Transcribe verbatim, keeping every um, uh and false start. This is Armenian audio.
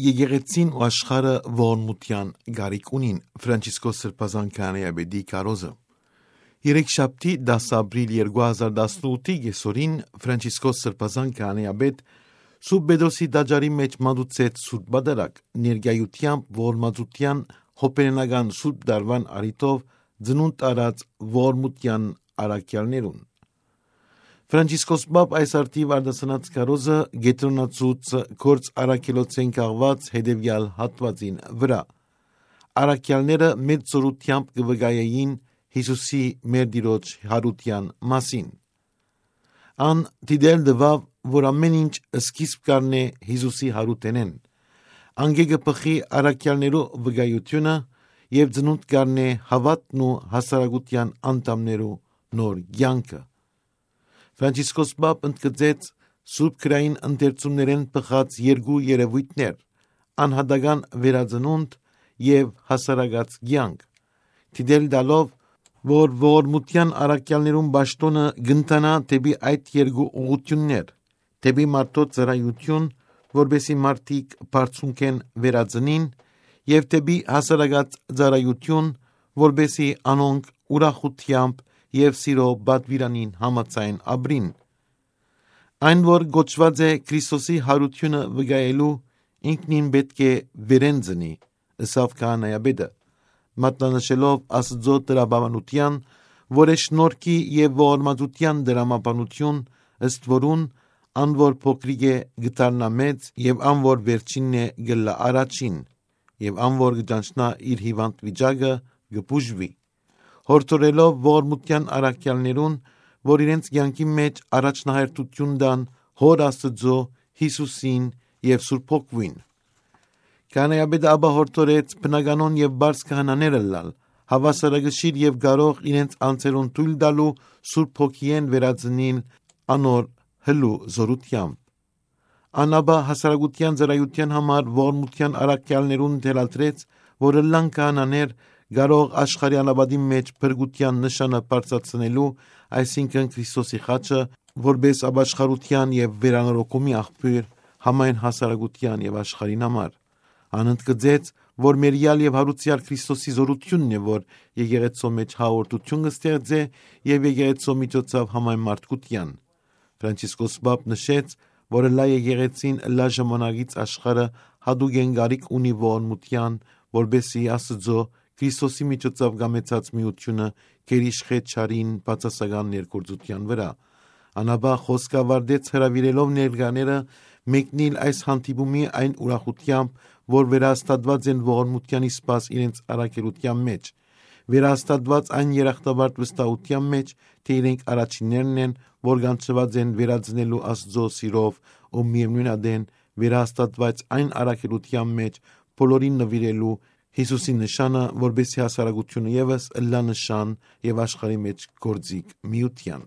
եկեղեցին ու աշխարհը ողորմության գարիք ունին։ Ֆրանցիսկոս Սրբազան քահանայապետի կարոզը Երեքշաբթի դասը ապրիլ երկու հազար տասնութի կեսօրին Ֆրանցիսկոս Սրբազան քահանայապետ Սուրբ Պետրոսի տաճարի մեջ մատուցեց Սուրբ Պատարագ, ներկայությամբ ողորմածության հոպերենական Սուրբ Դարվան առիթով ծնունդ առած ողորմության առաքյալներուն։ Ֆրանցիսկոս Պապ այս արդիվ արտասանած կարոզը գետրոնացուց գործ առաքելոցեն կաղված հետևյալ հատվածին վրա։ Առաքյալները մեծ զորությամբ կվկայեին Հիսուսի մեր Տիրոջ հարության մասին։ Ան դիտել դվավ, որ ամեն ինչ սկիզբ կառնե Հիսուսի հարութենեն, անգեգը պխի առաքյալներու վկայությունը եւ ծնունդ կառնե հավատն ու հասարակության անդամներու նոր կյանքը։ Ֆրանցիսկոս Պապ ընդգծեց Սուրբ Քրային ընթերցումներեն պխած երկու երևույթներ՝ անհատական վերածնունդ եւ հասարակած կյանք, դիտել տալով, որ ողորմության առաքյալներուն պաշտոնը գընթանա դեպի այդ երկու ուղղություններ, դեպի մարդոց ծառայություն, որպեսզի մարդիկ բարձունքեն վերածնին, եւ դեպի հասարակած ծառայություն, որպեսզի անոնք ուրախությամբ եւ սիրո պատվիրանին համաձայն ապրին։ Այն, որ գոչված է Քրիստոսի հարությունը վկայելու, ինքնին պետք է վերեն ծնի, ըսավ քահանայապետը, մատնանշելով Աստծո տրամաբանության, որ է շնորհքի եւ ողորմածության դրամաբանություն, ըստ որուն ան որ փոքրիկ է գտարնա մեծ եւ ան որ վերջինն է գլա առաջին եւ ան որ գճանչնա իր հիվանդ վիճակը գպուժվի, հորդորելով ողորմության առաքյալներուն, որ իրենց կյանքի մեջ առաջնահերթություն տան Հոր Աստծո, Հիսուսին եւ Սուրբ Հոգին։ Քահանայապետը ապա հորդորեց բնականon եւ բարձ քահանաները լալ, հավասարակշիռ եւ կարող իրենց անձերուն թույլ տալու Սուրբ Հոգիեն վերածնին անոր հլու զորությամբ։ Անաբա հասարակության ծառայության համար ողորմության առաքյալներուն թելադրեց, որ լան քահանաներ կարող աշխարհի անապատի մեջ փրկության նշանը բարձրացնելու, այսինքն Քրիստոսի խաչը, որպես ապաշխարության եւ վերանորոգումի աղբյուր համայն հասարակության եւ աշխարհին համար։ Անընդգծեց, որ մերյալ եւ հարուցյալ Քրիստոսի զորությունն է, որ եկեղեցու մեջ հաղորդություն կստեղծե եւ եկեղեցու միջոցով համայն մարդկության։ Ֆրանցիսկոս Պապ նշեց, որ լա եկեղեցին լա ժամանակից աշխարհը հատուկ են գարիք ունի ողորմության, որբեսի Աստծո Քրիստոսի միջոցով գամեցած միությունը գերիշխե չարին բացասական ներգործության վրա։ Անաբա խոսքավարդեց հրավիրելով ներկաները մեկնիլ այս հանդիպումի այն ուրախությամբ, որ վերահաստատված են ողորմության իսպաս իրենց առաքելության մեջ, վերահաստատված այն երախտաբարդ վստահության մեջ, թե իրենք առաջիններն են, որ գանչված են վերածնելու Աստծո սիրով ու միևնույն ադեն վերահաստատված այն առաքելության մեջ բոլորին նվիրելու Հիսուսի նշանը, որբեսի հասարակությունը ևս լա նշան եւ աշխարհի մեջ գործիկ միության։